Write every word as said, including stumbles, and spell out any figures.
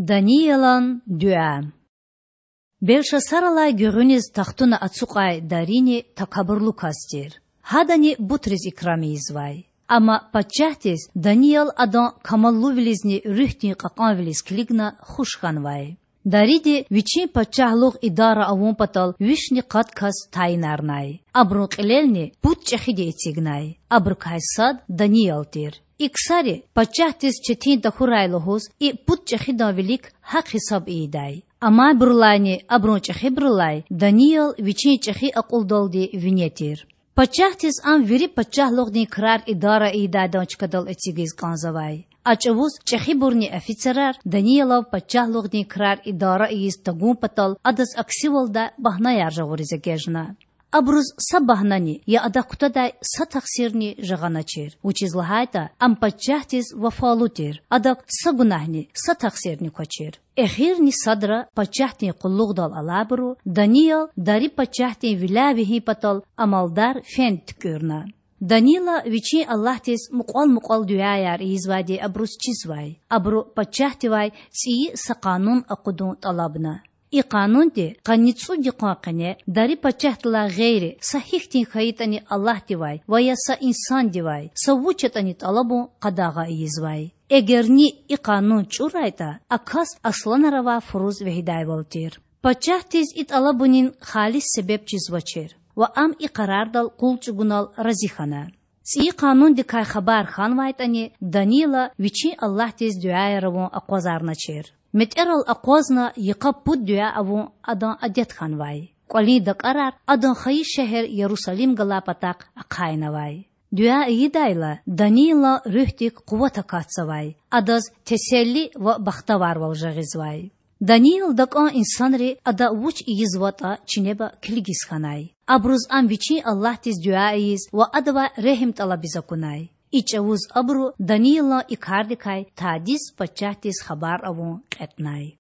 Даниялан дуьа. Белшасаралай гуьгъуьниз тахтуна ацукьай Дарини такабурлу кас тир. Гьадани бутриз икрам ийизвай. Амма пачагьдиз Даниял адан камаллувилизни руьгьдин кьакьанвилиз килигна хуш хьанвай. Дариди вичин пачагьлугъ идара авун патал вишни къад кас тайинарнай. Абурун кьилелни пуд чӀехиди эцигнай. Абурукай сад Даниял тир. И ксари, пачагьдиз четин тахьурай лугьуз, и пуд чӀехидан вилик гьахъ-гьисаб ийидай. Амайбурулайни абурун чӀехибурулай Даниял вичин чӀехи акьулдалди вине тир. Пачагьдиз ам вири пачагьлугъдин крар идара ийидайдан чкадал эцигиз кӀанзавай. А чӀавуз чӀехибурни офицерар Даниялав пачагьлугъдин крар идара ийиз тагун патал адаз аксивалдай багьнаяр жагъуриз эгечӀна. Абуруз са багьнани я адак кутадай са тахсирни жагъаначир, вучиз лагьайтӀа ам пачагьдиз вафалу тир, адак са гунагьни, са тахсирни квачир. Эхирни садра пачагьдин къуллугъдал алайбуру Даниял Дари пачагьдин виляй вегьин патал амалдар фенд туькӀуьрна. Данияла вичин Аллагьдиз мукьвал-мукьвал дуьаяр ийизвайди абуруз чизвай. Абуру пачагьдивай цӀийи са къанун акъудун тӀалабна. И къанунди къанни цӀуд йикъан къене Дари пачагьдилай гъейри са гьихьтин хьайитӀани аллагьдивай ва я са инсандивай са вуч ятӀани тӀалабун къадагъа ийизвай. Эгер ни и къанун чӀурайтӀа, а кас асланар авай фуруз вегьидайвал тир. Пачагьдиз и тӀалабунин халис себеб чизвачир ва ам и къарардал къул чӀугунал рази хьана. ЦӀийи къанундикай хабар хьанвайтӀани, Данияла вичин Аллагьдиз дуьаяр авун акъвазарначир. МетӀерал акъвазна йикъа пуд дуьа авун адан адет хьанвай. КӀвалин дакӀарар адан хайи шегьер Ярусалим галай патахъ ахъайнавай. Дуьа ийидайла, Даниялан руьгьдик къуват акатзавай, адаз теселли ва бахтаварвал жагъизвай. Даниял дакӀан инсанри ада вуч ийизватӀа чинеба килигиз хьанай. Абуруз ам вичин Аллагьдиз дуьа ийиз ва Адавай регьим тӀалабиз акунай. И чӀавуз абуру Даниялан и кардикай тадиз пачагьдиз хабар авун кьетӀнай.